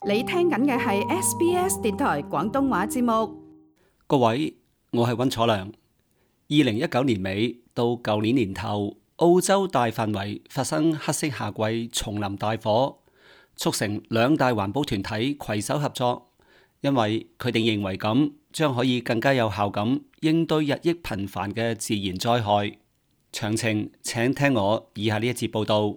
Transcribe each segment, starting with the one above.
你聽緊嘅係 SBS 電台廣東話節目。各位，我係溫楚良。2019年尾到舊年年頭，澳洲大範圍發生黑色夏季叢林大火，促成兩大環保團體攜手合作，因為佢哋認為咁將可以更加有效咁應對日益頻繁嘅自然災害。詳情請聽我以下呢一節報道。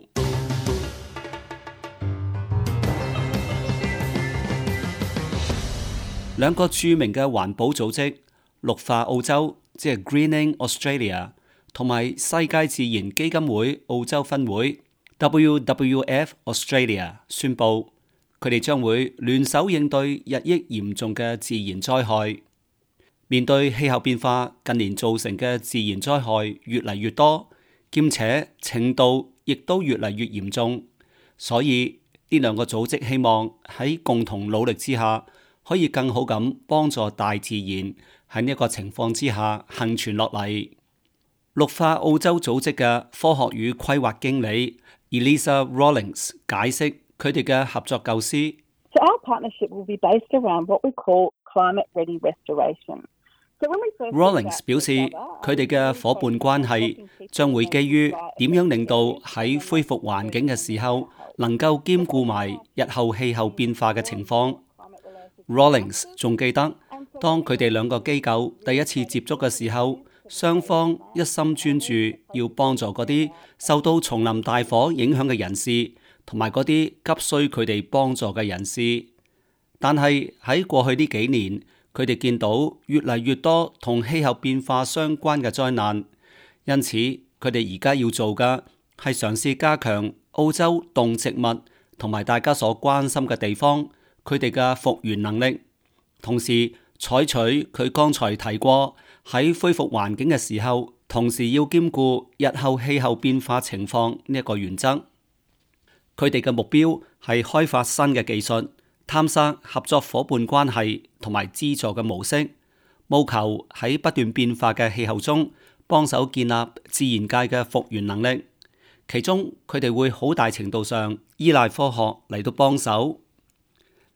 兩個著名嘅環保組織綠化澳洲，即係 Greening Australia， 同埋世界自然基金會澳洲分會 WWF Australia 宣布，佢哋將會聯手應對日益嚴重嘅自然災害。面對氣候變化近年造成嘅自然災害越嚟越多，兼且程度亦都越嚟越嚴重，所以呢兩個組織希望喺共同努力之下，可以更好咁幫助大自然喺呢一個情況之下幸存落嚟。綠化澳洲組織嘅科學與規劃經理 Elisa Rawlings 解釋佢哋嘅合作構思。So our partnership will be based around what we call climate-ready restoration. Rawlings 表示，佢哋嘅伙伴關係將會基於點樣令到喺恢復環境嘅時候，能夠兼顧埋日後氣候變化嘅情況。Rawlings 仲記得，當佢哋兩個機構第一次接觸嘅時候，雙方一心專注要幫助嗰啲受到叢林大火影響嘅人士，同埋嗰啲急需佢哋幫助嘅人士。但係喺過去呢幾年，佢哋見到越嚟越多同氣候變化相關嘅災難，因此佢哋而家要做嘅係嘗試加強澳洲動植物同埋大家所關心嘅地方佢哋嘅復原能力，同時採取佢剛才提過喺恢復環境嘅時候，同時要兼顧日後氣候變化情況呢一個原則。佢哋嘅目標係開發新嘅技術，探索合作伙伴關係同埋資助嘅模式，務求喺不斷變化嘅氣候中幫手建立自然界嘅復原能力。其中佢哋會好大程度上依賴科學嚟到幫手。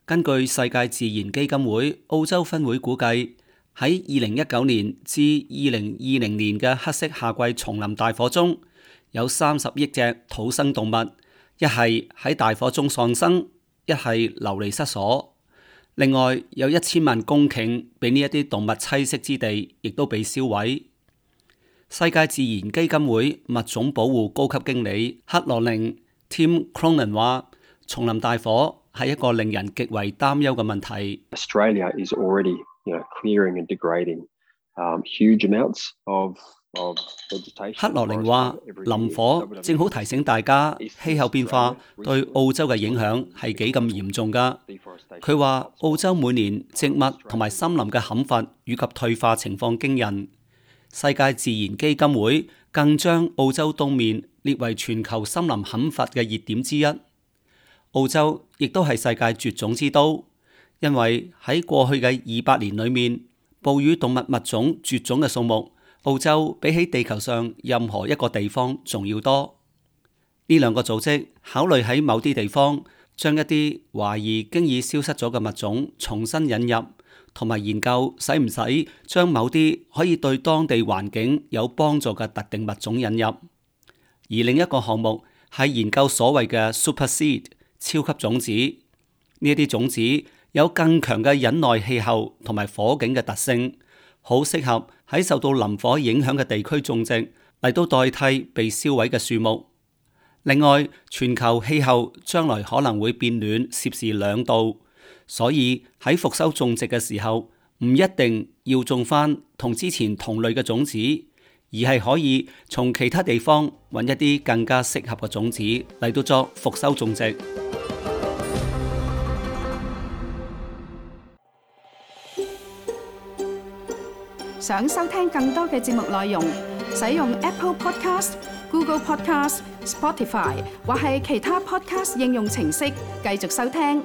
根據世界自然基金會澳洲分會估計，喺2019年至2020年嘅黑色夏季叢林大火中，有30億隻土生動物，一係喺大火中喪生，一係流離失所。另外有1000萬公頃俾呢一啲動物棲息之地，亦都被燒毀。世界自然基金會物種保護高級經理克羅寧 Tim Cronin 話，叢林大火係一個令人極為擔憂嘅問題。Australia is already, clearing and degrading huge amounts of vegetation. 克羅寧話，林火正好提醒大家，氣候變化對澳洲嘅影響係幾咁嚴重㗎。佢話，澳洲每年植物同埋森林嘅砍伐以及退化情況驚人。世界自然基金會更將澳洲東面列為全球森林砍伐嘅熱點之一。澳洲亦都係世界絕種之都，因為喺過去嘅200年裏面，哺乳動物物種絕種嘅數目，澳洲比起地球上任何一個地方仲要多。呢兩個組織考慮喺某啲地方將一啲懷疑經已消失咗嘅物種重新引入，同埋研究使唔使將某啲可以對當地環境有幫助嘅特定物種引入。而另一個項目係研究所謂嘅 Super Seed 超級種子，呢一啲種子有更強嘅忍耐氣候同埋火警嘅特性，好適合喺受到林火影響嘅地區種植，嚟到代替被燒毀嘅樹木。另外，全球氣候將來可能會變暖攝氏2度，所以喺復修種植嘅時候，唔一定要種返同之前同類嘅種子，而係可以從其他地方揾一啲更加適合嘅種子嚟到作復修種植。想收聽更多嘅節目內容，使用 Apple Podcast、Google Podcast、Spotify 或係其他 Podcast 應用程式繼續收聽。